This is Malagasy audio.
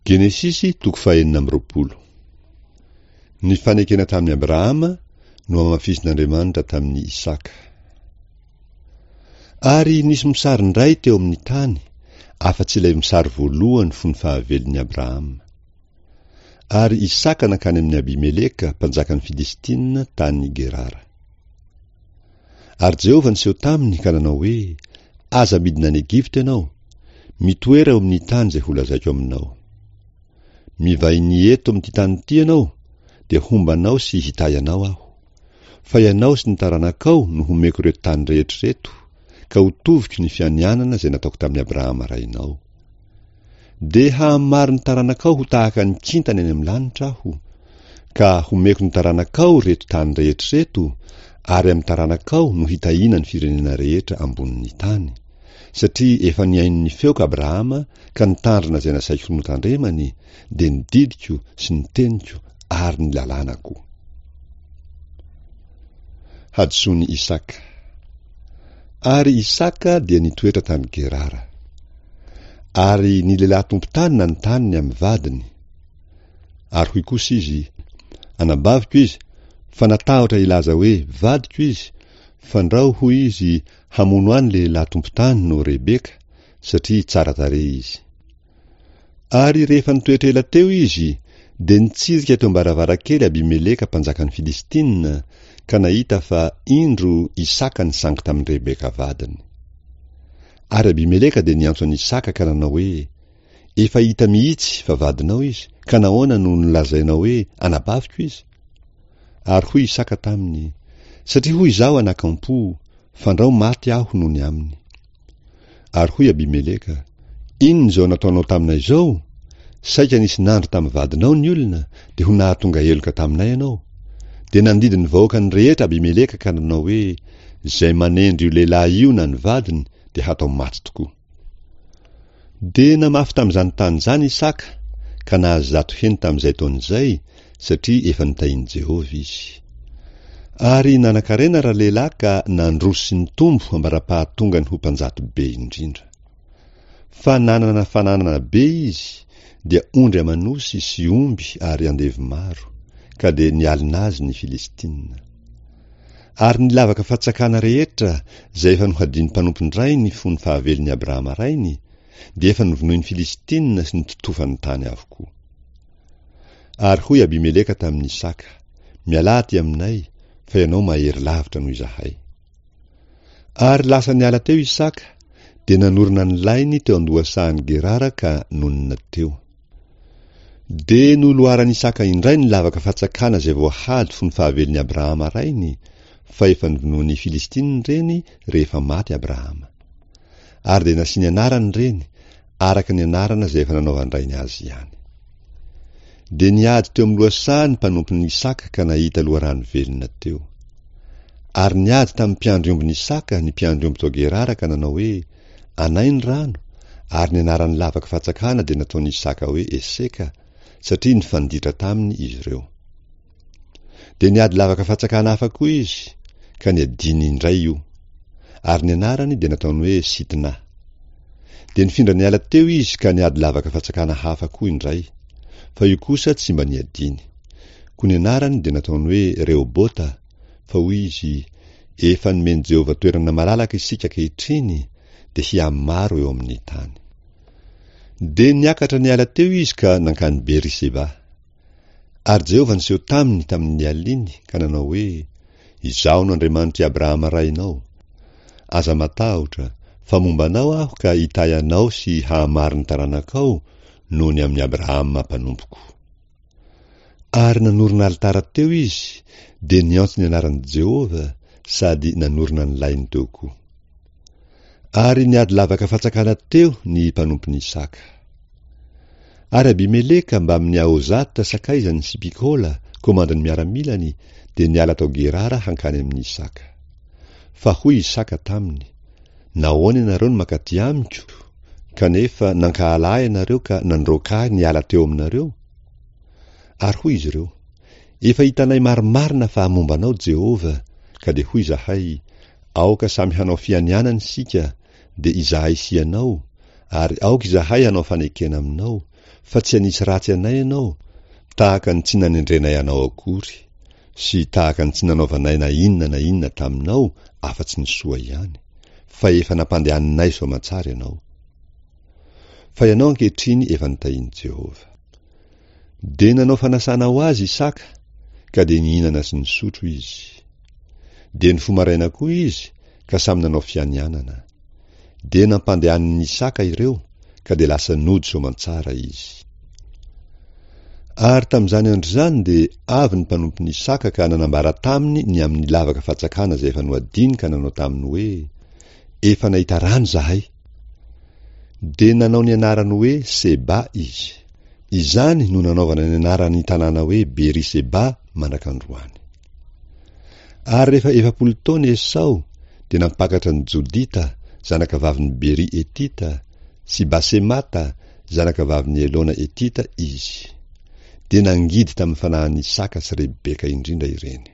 Genesisy toko fahenina amby 20. Ny fanekena tamin'i Abrahama no hamafisin'Andriamanitra tamin'i Isaka. Ary nisy mosary indray teo amin'ny tany, afa-tsy ilay mosary voalohany fony fahavelon'i Abrahama. Ary Isaka nankany amin'i Abimeleka, mpanjakan'ny Filistina, tany Gerara. Ary Jehovah niseho taminy ka nanao hoe, Aza midina any Egypta ianao. Mitoera eo amin'ny tany izay holazaiko aminao. Mivahiny eto amin'ity tany ity ianao, dia homba anao sy hitahy anao aho. Fa ianao sy ny taranakao no homeko ireto tany rehetra ireto, ka hotoviko ny fianianana izay nataoko tamin'i Abrahama rainao. Dia hahamaro ny taranakao ho tahaka ny kintana eny amin'ny lanitra aho, ka homeko ny taranakao ireto tany rehetra ireto, ary amin'ny taranakao no hitahiana ny firenena rehetra ambonin'ny tany, satria efa nihaino ny feoko Abrahama ka nitandrina izay nasaiko notandremany, dia ny didiko sy ny teniko ary ny lalànako. Hadisoan'i Isaka. Ary Isaka dia nitoetra tany Gerara. Ary ny lehilahy tompon-tany nanontany ny amin'ny vadiny. Ary hoy kosa izy, Anabaviko izy, fa natahotra hilaza hoe, Vadiko izy, fandrao, hoy izy, hamono ahy ny lehilahy tompon-tany noho Rebeka, satria tsara tarehy izy. Ary rehefa nitoetra ela teo izy, dia nitsirika teo am-baravarankely Abimeleka mpanjakan'ny Filistina, ka nahita fa, indro, Isaka nisangy tamin'i Rebeka vadiny. Ary Abimeleka dia niantso an'i Isaka ka nanao hoe, Efa hita mihitsy fa vadinao izy, ka nahoana no nolazainao hoe, Anabaviko izy? Ary hoy Isaka taminy, Satria hoy izaho anakampo, Fandrao maty aho noho ny aminy. Ary hoy Abimeleka, Inona izao nataonao taminay izao? Saika nisy nandry tamin'ny vadinao ny olona, dia ho nahatonga heloka taminay ianao. Dia nandidy ny vahoakany rehetra Abimeleka ka nanao hoe, Izay manendry io lehilahy io na ny vadiny dia hatao maty tokoa. Dia namafy tamin'izany tany izany Isaka, ka nahazo zato heny tamin'izay taona izay, satria efa notahin'i Jehovah izy. Ary nanan-karena ralehilahy ka nandroso sy nitombo ambara-pahatongany ho mpanjato be indrindra. Fa nanana fananana be izy, dia ondry aman'osy sy omby ary andevo maro, ka dia nialona azy ny Filistina. Ary ny lavaka fatsakana rehetra izay efa nohadian'ny mpanompon-drainy fony fahavelon'i Abrahama rainy, dia efa novonoin'ny Filistina sy nototofany tany avokoa. Ary hoy Abimeleka tamin'i Isaka, Mialà aty aminay, fa ianao mahery lavitra noho izahay. Ary lasa niala teo Isaka, dia nanorina ny lainy teo an-dohasahan'i Gerara ka nonina teo. Dia noloaran'i Isaka indray ny lavaka fatsakana izay voahady fony fahavelon'i Abrahama rainy, fa efa novonoin'ny Filistina ireny rehefa maty Abrahama. Ary dia nasiany anarany ireny, araka ny anarana izay efa nanaovan-drainy azy ihany. Dia niady teo amin'ny lohasaha ny mpanompon'i Isaka ka nahita loharano velona teo. Ary niady tamin'ny mpiandry ombin'i Isaka ny mpiandry omby tao Gerara ka nanao hoe, Anay ny rano, ary ny anaran'ny lavaka fatsakana dia nataon'i Isaka hoe Eseka, satria nifanditra taminy izy ireo. Dia niady lavaka fatsakana hafa koa izy, ka niadiany indray io. Ary ny anarany dia nataony hoe Sitna. Dia nifindra niala teo izy ka niady lavaka fatsakana hafa koa indray, fa io kosa tsy mba niadiany. Koa ny anarany dia nataony hoe Rehobota, fa hoy izy, Efa nomen'i Jehovah toerana malalaka isika ankehitriny, dia hihamaro eo amin'ny tany. Dia niakatra niala teo izy ka nankany Beri-sheba. Ary Jehovah niseho taminy tamin'ny aliny ka nanao hoe, Izaho no Andriamanitr'i Abrahama rainao. Aza matahotra, fa momba anao Aho ka hitahy anao sy hahamaro ny taranakao noho ny amin'i Abrahama mpanompoko. Ary nanorina alitara teo izy, dia niantso ny anaran'i Jehovah sady nanorina ny lainy teo koa. Ary niady lavaka fatsakana teo ny mpanompon'i Isaka. Ary Abimeleka mbamin'i Ahozata sakaizany sy Pikola, komandin'ny miaramilany, dia niala tao Gerara hankany amin'i Isaka. Fa hoy Isaka taminy, Nahoana ianareo no mankaty amiko, kanefa nankahala ahy ianareo ka nandroaka ahy niala teo aminareo? Ary hoy izy ireo, Efa hitanay marimarina fa momba anao Jehovah, ka dia hoy izahay, Aoka samy hanao fianianana isika, dia izahay sy ianao, ary aoka izahay hanao fanekena aminao, Fa tsy hanisy ratsy anay ianao, tahaka ny tsy nanendrenay anao akory, sy tahaka ny tsy nanaovanay na inona na inona taminao afa-tsy ny soa ihany, fa efa nampandehaninay soamantsara ianao. Fa ianao ankehitriny efa notahin'i Jehovah. Dia nanao fanasana ho azy Isaka, ka dia nihinana sy nisotro izy. Dia nifoha maraina koa izy, ka samy nanao fianianana. Dia nampandehanin'i Isaka ireo, ka dia lasa nody soamantsara izy. Ary tamin'izany andro izany dia avy ny mpanompon'i Isaka ka nanambara taminy ny amin'ny lavaka fatsakana izay efa nohadiny ka nanao taminy hoe, Efa nahita rano izahay. Dia nanao ny anarany hoe Seba izy. Izany no nanaovana ny anaran'ny tanàna hoe Beri-seba mandrak'androany. Ary rehefa 40 taona Esao, dia nampakatra an'i Jodita, zanakavavin'i Beri Hetita, sy Basemata, zanakavavin'i Elona Hetita, izy. Dia nangidy tamin'ny fanahin'i Isaka sy Rebeka indrindra ireny.